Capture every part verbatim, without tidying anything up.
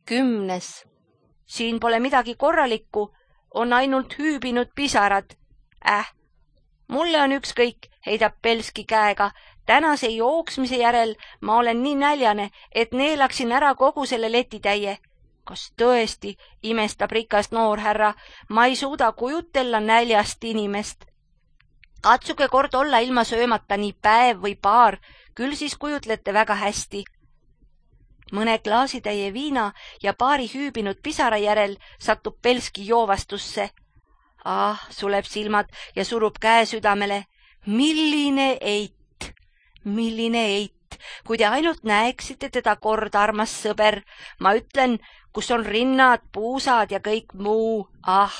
Kümnes. Siin pole midagi korralikku, on ainult hüübinud pisarad. Äh, mulle on ükskõik, heidab Belski käega. Tänase jooksmise järel ma olen nii näljane, et neelaksin ära kogu selle letitäie. Kas tõesti, imestab rikas noorhärra, ma ei suuda kujutella näljast inimest. Katsuge kord olla ilma söömata nii päev või paar, küll siis kujutlete väga hästi. Mõne klaasitäie viina ja paari hüübinud pisara järel satub Belski joovastusse. Ah, suleb silmad ja surub käe südamele. Milline eit, milline eit, kui te ainult näeksite teda kord, armas sõber. Ma ütlen, kus on rinnad, puusad ja kõik muu, ah.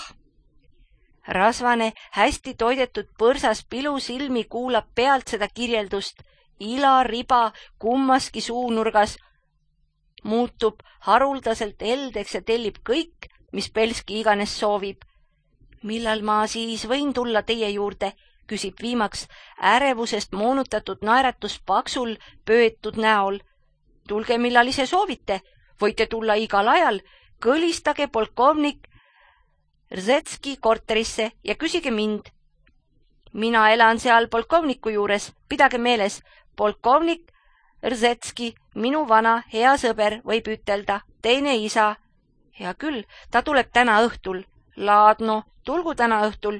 Rasvane, hästi toidetud põrsas pilusilmi kuulab pealt seda kirjeldust. Ila riba kummaski suunurgas muutub haruldaselt eldeks ja tellib kõik, mis Belski iganes soovib. Millal ma siis võin tulla teie juurde, küsib viimaks ärevusest moonutatud naeratus paksul pöötud näol. Tulge, millal ise soovite, võite tulla igal ajal, kõlistage polkovnik Rzetski korterisse ja küsige mind. Mina elan seal polkovniku juures, pidage meeles, polkovnik Rzetski, minu vana hea sõber, võib ütelda, teine isa. Hea küll, ta tuleb täna õhtul. Laadno, tulgu täna õhtul.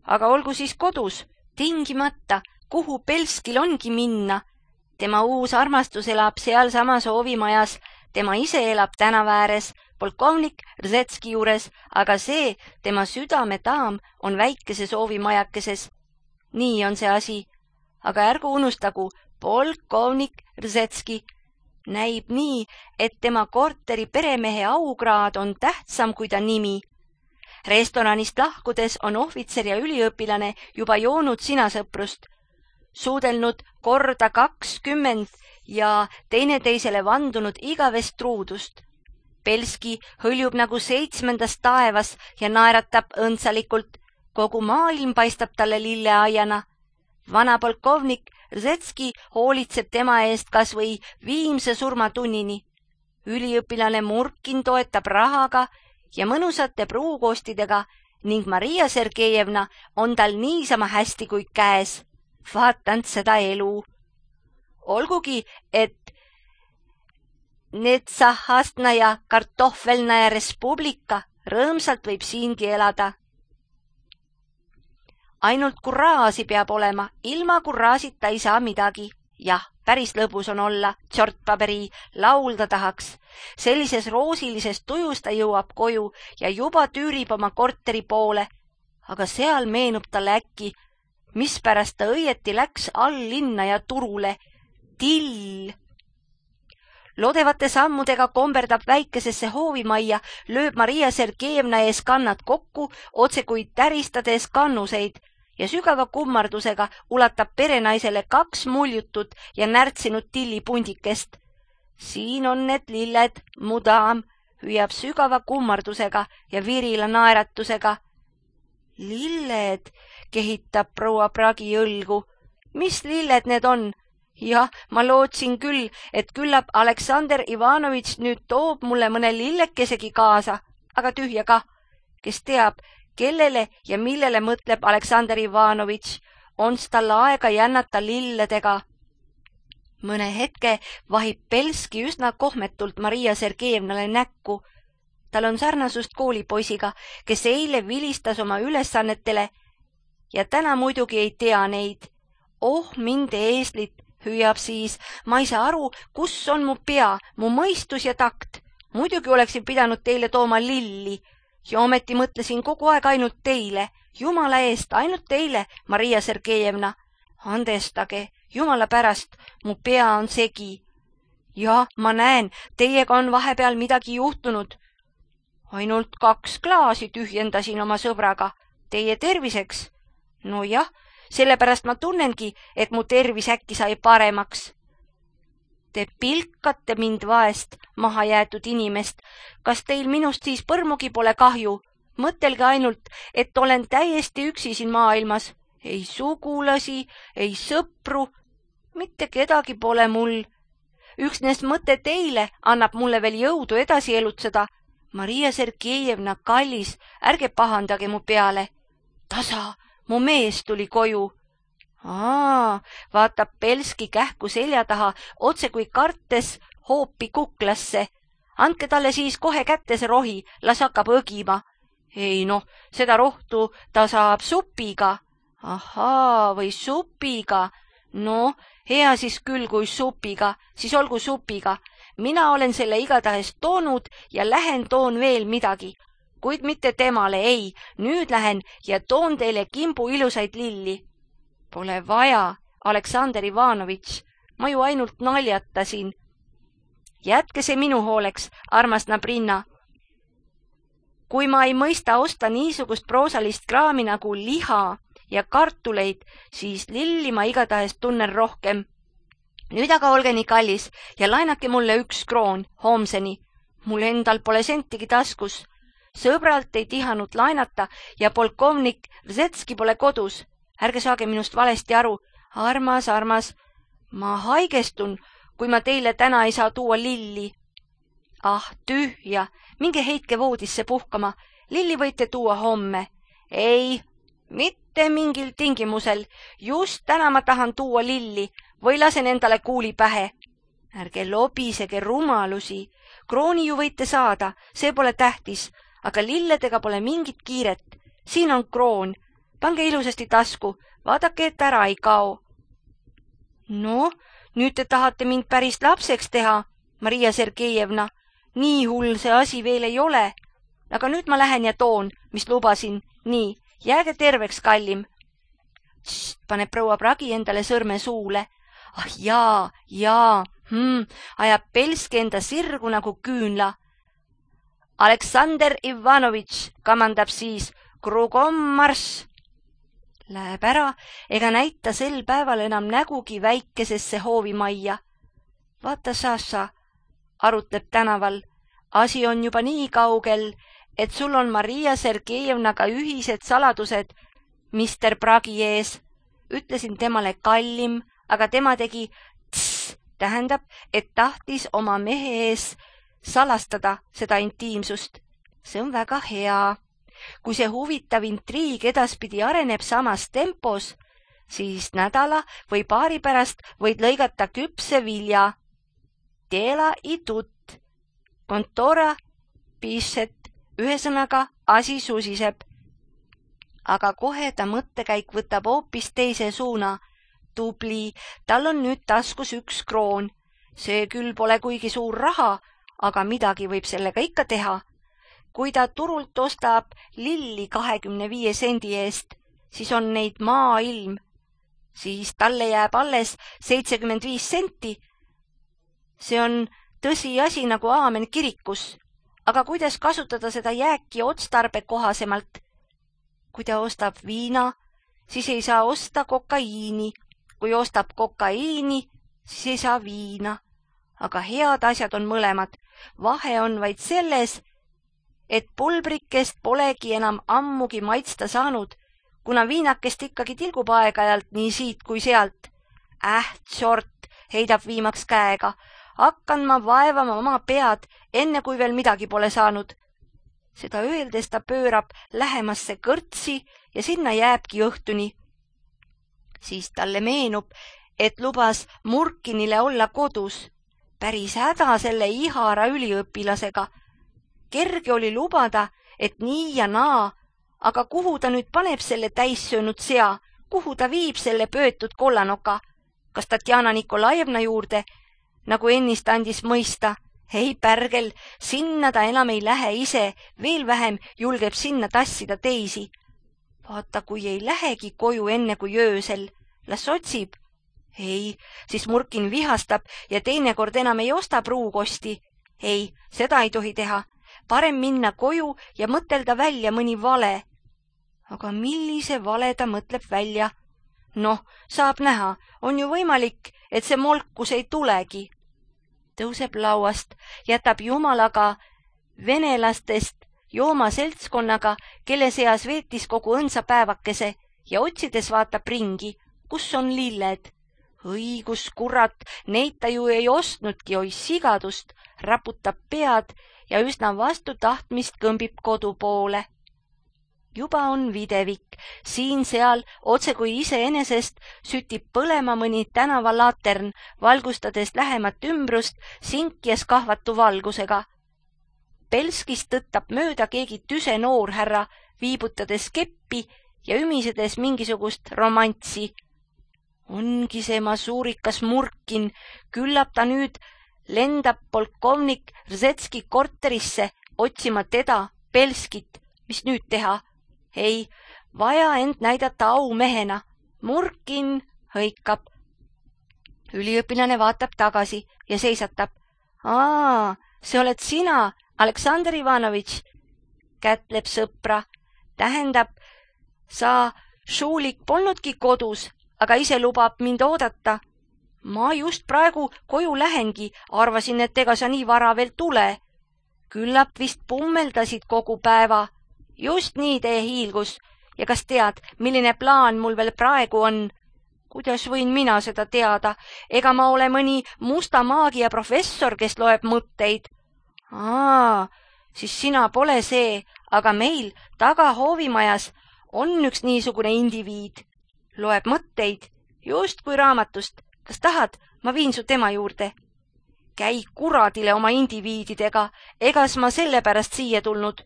Aga olgu siis kodus, tingimata, kuhu Belskil ongi minna. Tema uus armastus elab seal sama soovimajas, tema ise elab tänava ääres, polkovnik Rzetski juures, aga see, tema südametaam, on väikese soovimajakeses. Nii on see asi. Aga ärgu unustagu, polkovnik Rzetski näib nii, et tema korteri peremehe aukraad on tähtsam kui ta nimi. Restoranist lahkudes on ohvitser ja üliõpilane juba joonud sinasõprust, suudelnud korda kakskümmend ja teineteisele vandunud igavest truudust. Belski hõljub nagu seitsmendas taevas ja naeratab õndsalikult. Kogu maailm paistab talle lilleaiana. Vana polkovnik Rzetski hoolitseb tema eest kas või viimse surmatunnini. Üliõpilane Murkin toetab rahaga ja mõnusate pruukoostidega ning Maria Sergejevna on tal niisama hästi kui käes. Vaatand seda elu. Olgugi, et Netsahastnaja kartohvelnaja respublika rõõmsalt võib siingi elada. Ainult kurraasi peab olema, ilma kurraasita ei saa midagi. Jah, päris lõbus on olla, tšortpaberi, laulda tahaks. Sellises roosilises tujus ta jõuab koju ja juba tüürib oma korteri poole. Aga seal meenub talle äkki, mispärast ta õieti läks all linna ja turule. Till! Lodevate sammudega komberdab väikesesse hoovimajja, lööb Maria Sergejevna ees kannad kokku, otse kui täristades kannuseid ja sügava kummardusega ulatab perenaisele kaks muljutut ja närtsinud tillipundikest. Siin on need lilled, mu daam, hüüab sügava kummardusega ja virila naeratusega. Lilled, kehitab proua Pragi õlgu. Mis lilled need on? Jah, ma lootsin küll, et küllap Aleksander Ivanovitš nüüd toob mulle mõne lillekesegi kaasa, aga tühja kah. Kes teab, kellele ja millele mõtleb Aleksander Ivanovitš, on tal aega jännata lilledega. Mõne hetke vahib Belski üsna kohmetult Maria Sergejevnale näkku. Tal on sarnasust koolipoisiga, kes eile vilistas oma ülesannetele ja täna muidugi ei tea neid. Oh, mind eeslit, hüüab siis, ma ei saa aru, kus on mu pea, mu mõistus ja takt. Muidugi oleksin pidanud teile tooma lilli ja ometi mõtlesin kogu aeg ainult teile. Jumala eest, ainult teile, Maria Sergejevna. Andestage, jumala pärast, mu pea on segi. Ja, ma näen, teiega on vahepeal midagi juhtunud. Ainult kaks klaasi tühjendasin oma sõbraga. Teie terviseks? No jah, sellepärast ma tunnengi, et mu tervis äkki sai paremaks. Te pilkate mind vaest, maha jäetud inimest. Kas teil minust siis põrmugi pole kahju? Mõtelge ainult, et olen täiesti üksi siin maailmas. Ei sugulasi, ei sõpru, mitte kedagi pole mul. üksnes mõte teile annab mulle veel jõudu edasi elutseda. Maria Sergejevna, kallis, ärge pahandage mu peale. Tasa, mu mees tuli koju. Aa, vaatab Belski kähku selja taha, otse kui kartes hoopi kuklasse. Andke talle siis kohe kätte see rohi, las hakkab õgima. Ei noh, seda rohtu ta saab supiga. Ahaa, või supiga. No, hea siis küll, kui supiga, siis olgu supiga. Mina olen selle igatahes toonud ja lähen toon veel midagi. Kuid mitte temale, ei, nüüd lähen ja toon teile kimbu ilusaid lilli. Pole vaja, Aleksander Ivanovitš, ma ju ainult naljatasin. Jätke see minu hooleks, armas Nabrinna. Kui ma ei mõista osta niisugust proosalist kraami nagu liha ja kartuleid, siis lilli ma igatahes tunnen rohkem. Nüüd aga olge nii kallis ja laenake mulle üks kroon homseni. Mul endal pole sentigi taskus. Sõbralt ei tihanud laenata ja polkovnik Rzetski pole kodus. Ärge saage minust valesti aru. Armas, armas, ma haigestun, kui ma teile täna ei saa tuua lilli. Ah, tühja, minge heitke voodisse puhkama. Lilli võite tuua homme. Ei, mitte mingil tingimusel. Just täna ma tahan tuua lilli või lasen endale kuuli pähe. Ärge lobisege rumalusi. Krooni ju võite saada, see pole tähtis, aga lilledega pole mingit kiiret. Siin on kroon. Pange ilusasti tasku, vaadake, et ära ei kao. No, nüüd te tahate mind päris lapseks teha, Maria Sergejevna. Nii hull see asi veel ei ole. Aga nüüd ma lähen ja toon, mis lubasin. Nii, jääge terveks, kallim. Tss, paneb proua Pragi endale sõrme suule. Ah jaa, jaa, hmm, ajab Belski enda sirgu nagu küünla. Aleksander Ivanovitš kamandab siis krugom marss. Läheb ära ega näita sel päeval enam nägugi väikesesse hoovimajja. Vaata, Saša, arutleb tänaval. Asi on juba nii kaugel, et sul on Maria Sergejevnaga ühised saladused mister Pragi ees. Ütlesin temale kallim, aga tema tegi tss, tähendab, et tahtis oma mehe ees salastada seda intiimsust. See on väga hea. Kui see huvitav intriig edaspidi areneb samas tempos, siis nädala või paari pärast võid lõigata küpse vilja. Dela i tut. Kontora, pisset, ühesõnaga asi susiseb. Aga kohe ta mõttekäik võtab hoopis teise suuna. Tubli, tal on nüüd taskus üks kroon. See küll pole kuigi suur raha, aga midagi võib sellega ikka teha. Kui ta turult ostab lilli kahekümne viie sendi eest, siis on neid maailm. Siis talle jääb alles seitsekümmend viis senti. See on tõsi asi nagu aamen kirikus. Aga kuidas kasutada seda jääki otstarbe kohasemalt? Kui ta ostab viina, siis ei saa osta kokaiini. Kui ostab kokaiini, siis ei saa viina. Aga head asjad on mõlemad. Vahe on vaid selles, et pulbrikest polegi enam ammugi maitsta saanud, kuna viinakest ikkagi tilgub aeg-ajalt nii siit kui sealt. Äh, tsort, heidab viimaks käega. Hakkan ma vaevama oma pead, enne kui veel midagi pole saanud. Seda öeldes ta pöörab lähemasse kõrtsi ja sinna jääbki õhtuni. Siis talle meenub, et lubas Murkinile olla kodus. Päris häda selle ihara üliõpilasega. Kerge oli lubada, et nii ja naa, aga kuhu ta nüüd paneb selle täissöönud sea, kuhu ta viib selle pöötud kollanoka? Kas Tatjana Nikolajevna juurde, nagu ennist andis mõista? Ei pärgel, sinna ta enam ei lähe ise, veel vähem julgeb sinna tassida teisi. Vaata, kui ei lähegi koju enne kui öösel, las otsib. Ei, siis Murkin vihastab ja teinekord enam ei osta pruukosti. Ei, seda ei tohi teha. Parem minna koju ja mõtelda välja mõni vale. Aga millise vale ta mõtleb välja? Noh, saab näha, on ju võimalik, et see molkus ei tulegi. Tõuseb lauast, jätab jumalaga venelastest jooma seltskonnaga, kelle seas veetis kogu õnsa päevakese ja otsides vaatab ringi, kus on lilled. õigus, kurat, neid ta ju ei ostnudki, oi sigadust, raputab pead ja üsna vastu tahtmist kõmbib kodu poole. Juba on videvik, siin-seal, otse kui iseenesest, sütib põlema mõni tänavalatern, valgustades lähemat ümbrust sinkjes kahvatu valgusega. Pelskist tõttab mööda keegi tüse noorhärra, viibutades keppi ja ümisedes mingisugust romantsi. Ongi see masuurikas Murkin, küllap ta nüüd lendab polkovnik Rzetski korterisse otsima teda, Pelskit, mis nüüd teha? Ei, vaja end näidata aumehena. Murkin hõikab. Üliõpilane vaatab tagasi ja seisatab. Aa, see oled sina, Aleksandr Ivanovitš, kätleb sõpra. Tähendab, sa, Šulik, polnudki kodus, aga ise lubab mind oodata. Ma just praegu koju lähengi, arvasin, et ega sa nii vara veel tule. Küllap vist pummeldasid kogu päeva. Just nii tee hiilgus. Ja kas tead, milline plaan mul veel praegu on? Kuidas võin mina seda teada? Ega ma ole mõni musta maagia professor, kes loeb mõtteid. Aa, siis sina pole see, aga meil taga hoovimajas on üks niisugune indiviid. Loeb mõtteid, just kui raamatust. Kas tahad, ma viin su tema juurde? Käi kuradile oma indiviididega, egas ma sellepärast siia tulnud.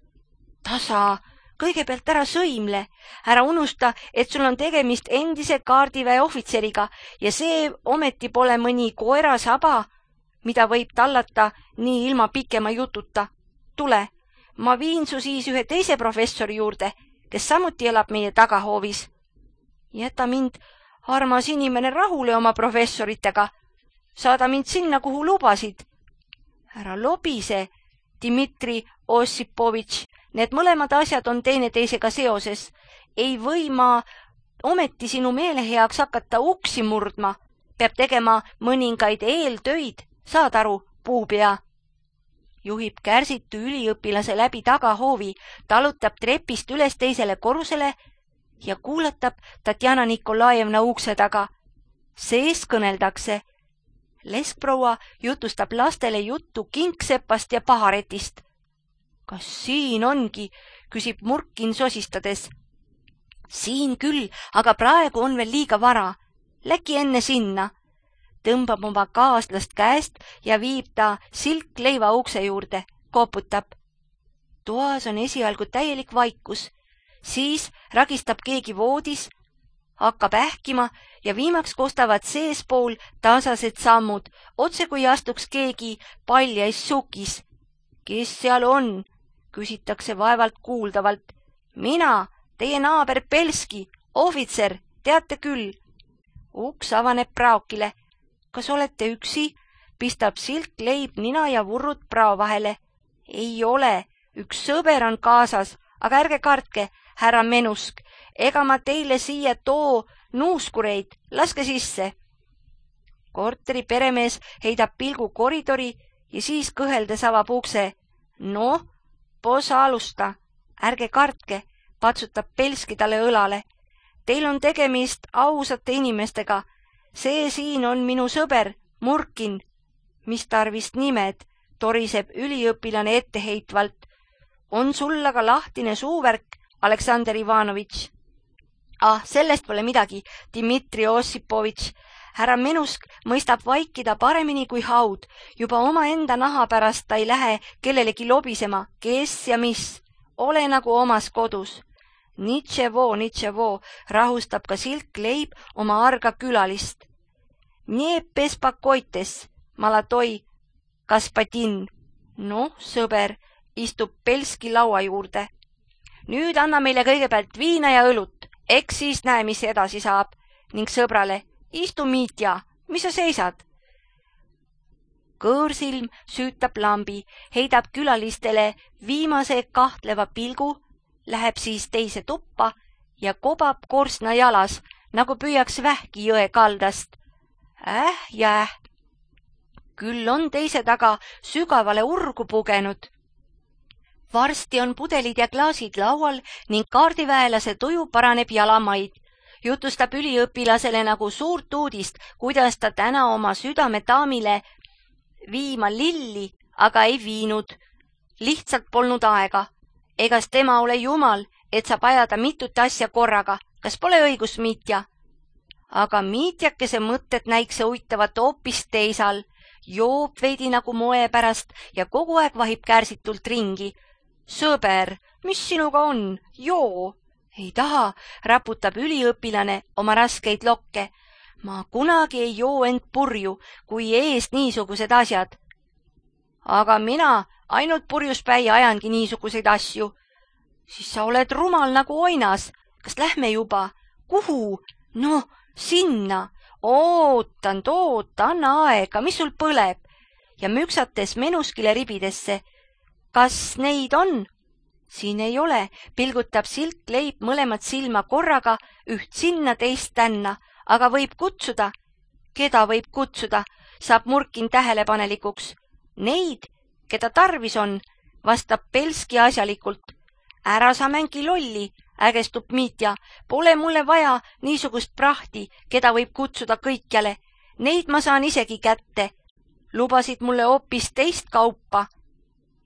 Tasa, kõigepealt ära sõimle, ära unusta, et sul on tegemist endise kaardiväe ohvitseriga ja see ometi pole mõni koerasaba, mida võib tallata nii ilma pikema jututa. Tule, ma viin su siis ühe teise professori juurde, kes samuti elab meie tagahoovis. Jäta mind, armas inimene, rahule oma professoritega. Saada mind sinna, kuhu lubasid. Ära lobise, Dmitri Ossipovitš, need mõlemad asjad on teineteisega seoses. Ei või ma ometi sinu meele heaks hakata uksi murdma. Peab tegema mõningaid eeltöid, saad aru, puupea. Juhib kärsitu üliõpilase läbi tagahoovi, talutab trepist üles teisele korrusele ja kuulatab Tatjana Nikolajevna ukse taga. Sees kõneldakse. Leskproua jutustab lastele juttu kingsepast ja paharetist. Kas siin ongi, küsib Murkin sosistades. Siin küll, aga praegu on veel liiga vara. Läki enne sinna. Tõmbab oma kaaslast käest ja viib ta silkleiva ukse juurde, koputab. Toas on esialgu täielik vaikus. Siis ragistab keegi voodis, hakkab ähkima ja viimaks kostavad seespool tasased sammud, otse kui astuks keegi paljais sukis. Kes seal on? Küsitakse vaevalt kuuldavalt. Mina, teie naaber Pelski, ohvitser, teate küll. Uks avaneb praokile. Kas olete üksi? Pistab silkleib nina ja vurrud prao vahele. Ei ole, üks sõber on kaasas, aga ärge kartke, härra Menusk, ega ma teile siia too nuuskureid, laske sisse. Korteri peremees heidab pilgu koridori ja siis kõheldes avab ukse. No, posa alusta, ärge kartke, patsutab Pelski talle õlale. Teil on tegemist ausate inimestega. See siin on minu sõber, Murkin. Mis tarvist nimed, toriseb üliõpilane etteheitvalt. On sul aga lahtine suuvärk, Aleksandr Ivanovitš. Ah, sellest pole midagi, Dmitri Ossipovitš. Härra Menusk mõistab vaikida paremini kui haud. Juba oma enda naha pärast ta ei lähe kellelegi lobisema, kes ja mis. Ole nagu omas kodus. Nitševo, nitševo, rahustab ka silkleib oma arga külalist. Nie pespakoites, malatoi, kaspatin. Noh, sõber, istub Pelski laua juurde. Nüüd anna meile kõigepealt viina ja õlut, eks siis näe, mis edasi saab. Ning sõbrale, istu Mitja, mis sa seisad? Kõõrsilm süütab lambi, heidab külalistele viimase kahtleva pilgu, läheb siis teise tuppa ja kobab korstna jalas, nagu püüaks vähki jõe kaldast. Äh ja äh. Küll on teise taga sügavale urgu pugenud. Varsti on pudelid ja klaasid laual ning kaardiväelase tuju paraneb jalamaid. jutustab üliõpilasele nagu suurt uudist, kuidas ta täna oma südametaamile viima lilli, aga ei viinud. Lihtsalt polnud aega. Egas tema ole jumal, et saab ajada mitut asja korraga. Kas pole õigus, Mitja? Aga Mitjakese mõtted näikse uittavat hoopis teisal. Joob veidi nagu moe pärast ja kogu aeg vahib kärsitult ringi. Sõber, mis sinuga on? Joo! Ei taha, raputab üliõpilane oma raskeid lokke. Ma kunagi ei joo end purju, kui ees niisugused asjad. Aga mina ainult purjuspäi ajangi niisuguseid asju. Siis sa oled rumal nagu oinas. Kas lähme juba? Kuhu? No, sinna. Ootan, oota, anna aega, mis sul põleb? Ja müksates menuskile ribidesse. Kas neid on? Siin ei ole, pilgutab Silk Leib mõlemat silma korraga, üht sinna, teist tänna, aga võib kutsuda. Keda võib kutsuda, saab Murkin tähelepanelikuks. Neid, keda tarvis on, vastab Pelski asjalikult. Ära sa mängi lolli, ägestub Mitja, pole mulle vaja niisugust prahti, keda võib kutsuda kõikjale. Neid ma saan isegi kätte. Lubasid mulle hoopis teist kaupa.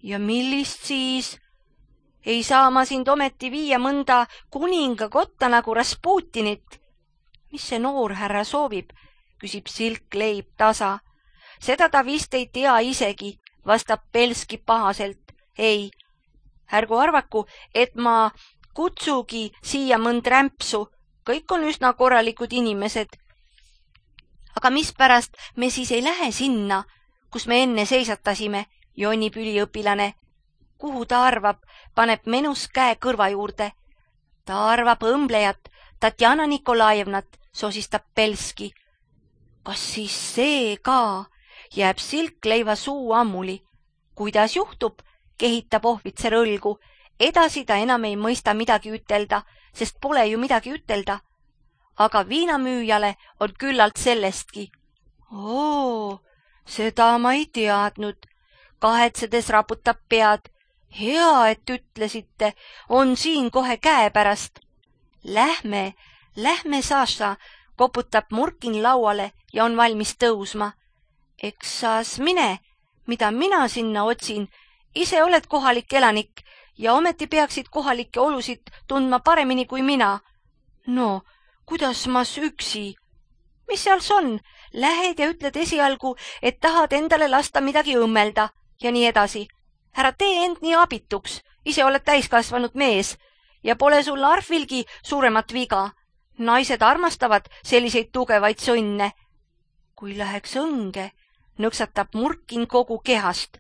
Ja millist siis? Ei saa ma sind ometi viia mõnda kuninga kotta nagu Rasputinit. Mis see noor härra soovib, küsib Silk Leib tasa. Seda ta vist ei tea isegi, vastab Pelski pahaselt. Ei, ärgu arvaku, et ma kutsugi siia mõnd rämpsu. Kõik on üsna korralikud inimesed. Aga mispärast me siis ei lähe sinna, kus me enne seisatasime, jonnib üliõpilane. Kuhu ta arvab, paneb menus käe kõrva juurde. Ta arvab õmblejat, Tatjana Nikolajevnat, sosistab Pelski. Kas siis see ka? Jääb Silk Leiva suu ammuli. Kuidas juhtub, kehitab ohvitser õlgu. Edasi ta enam ei mõista midagi ütelda, sest pole ju midagi ütelda. Aga viinamüüjale on küllalt sellestki. Oo, seda ma ei teadnud. Kahetsedes raputab pead. Hea, et ütlesite, on siin kohe käepärast. Lähme, lähme, Saša, koputab Murkin lauale ja on valmis tõusma. Eks saas mine, mida mina sinna otsin. Ise oled kohalik elanik ja ometi peaksid kohalikke olusid tundma paremini kui mina. No, kuidas mas üksi? Mis seals on? Lähed ja ütled esialgu, et tahad endale lasta midagi õmmelda ja nii edasi. Ära tee end nii abituks, ise oled täiskasvanud mees ja pole sul arvilgi suuremat viga. Naised armastavad selliseid tugevaid sõnne. Kui läheks õnge, nõksatab Murkin kogu kehast.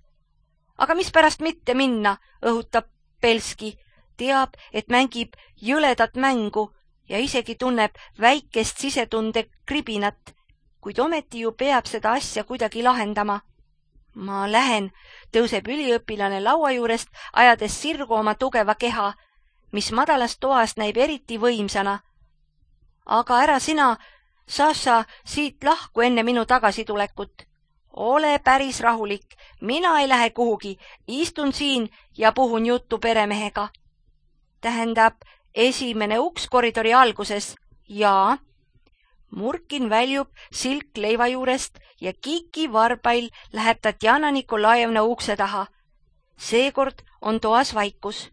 Aga mispärast mitte minna, õhutab Pelski. Teab, et mängib jõledat mängu ja isegi tunneb väikest sisetunde kribinat, kuid ometi ju peab seda asja kuidagi lahendama. Ma lähen, tõuseb üliõpilane laua juurest, ajades sirgu oma tugeva keha, mis madalast toast näib eriti võimsana. Aga ära sina, Saša, siit lahku enne minu tagasitulekut. Ole päris rahulik, mina ei lähe kuhugi, istun siin ja puhun juttu peremehega. Tähendab, esimene uks koridori alguses. Jaa. Murkin väljub Silk Leiva juurest ja Kiki varbail läheb Tatjana Nikolajevna ukse taha. Seekord on toas vaikus,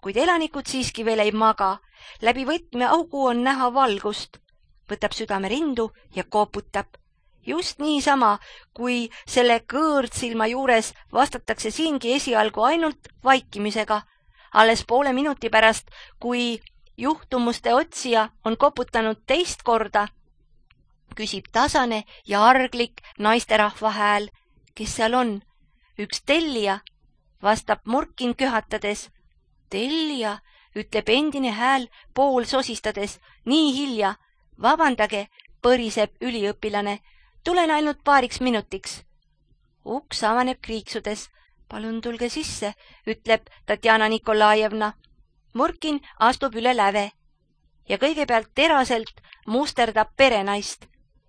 kuid elanikud siiski veel ei maga. Läbi võtmeaugu on näha valgust. Võtab südame rindu ja koputab. Just niisama, kui selle kõõrdsilma juures vastatakse siingi esialgu ainult vaikimisega. Alles poole minuti pärast, kui juhtumuste otsija on koputanud teist korda, küsib tasane ja arglik naisterahva hääl. Kes seal on? Üks tellija, vastab Murkin köhatades. Tellija, ütleb endine hääl pool sosistades. Nii hilja. Vabandage, põriseb üliõpilane. Tulen ainult paariks minutiks. Uks avaneb kriiksudes. Palun tulge sisse, ütleb Tatjana Nikolajevna. Murkin astub üle läve ja kõigepealt teraselt musterdab perenaist.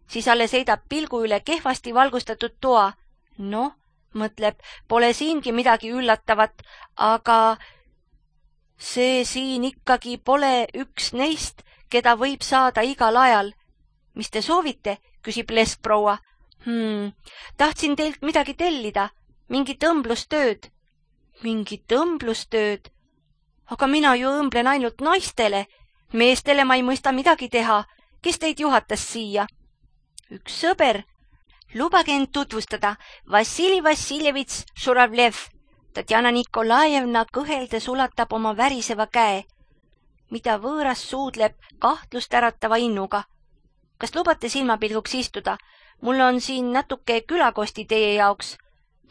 Siis alles heidab pilgu üle kehvasti valgustatud toa. Noh, mõtleb, pole siingi midagi üllatavat, aga see siin ikkagi pole üks neist, keda võib saada igal ajal. Mis te soovite, küsib leskproua. Hmm, tahtsin teilt midagi tellida, mingit õmblustööd. Mingit õmblustööd? Aga mina ju õmblen ainult naistele. Meestele ma ei mõista midagi teha. Kes teid juhatas siia? Üks sõber. Lubage end tutvustada. Vassili Vassiljevits Žuravlev. Tatjana Nikolajevna kõheldes ulatab oma väriseva käe, mida võõras suudleb kahtlust äratava innuga. Kas lubate silmapilguks istuda? Mul on siin natuke külakosti teie jaoks.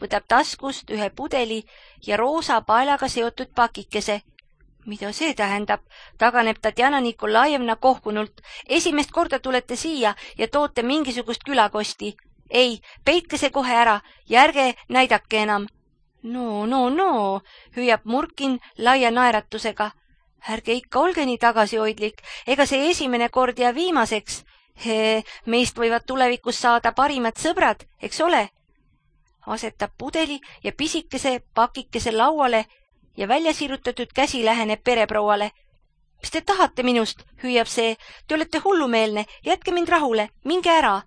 Võtab taskust ühe pudeli ja roosa paelaga seotud pakikese. Mida see tähendab? Taganeb Tatjana Nikolajevna kohkunult. Esimest korda tulete siia ja toote mingisugust külakosti. Ei, peitke see kohe ära ja ärge näidake enam. No, no, no, hüüab Murkin laia naeratusega. Ärge ikka olge nii tagasihoidlik, ega see esimene kord ja viimaseks. He, meist võivad tulevikus saada parimad sõbrad, eks ole? Asetab pudeli ja pisikese pakikese lauale ja välja sirutatud käsi läheneb pereprouale. Mis te tahate minust, hüüab see, te olete hullumeelne, jätke mind rahule, minge ära.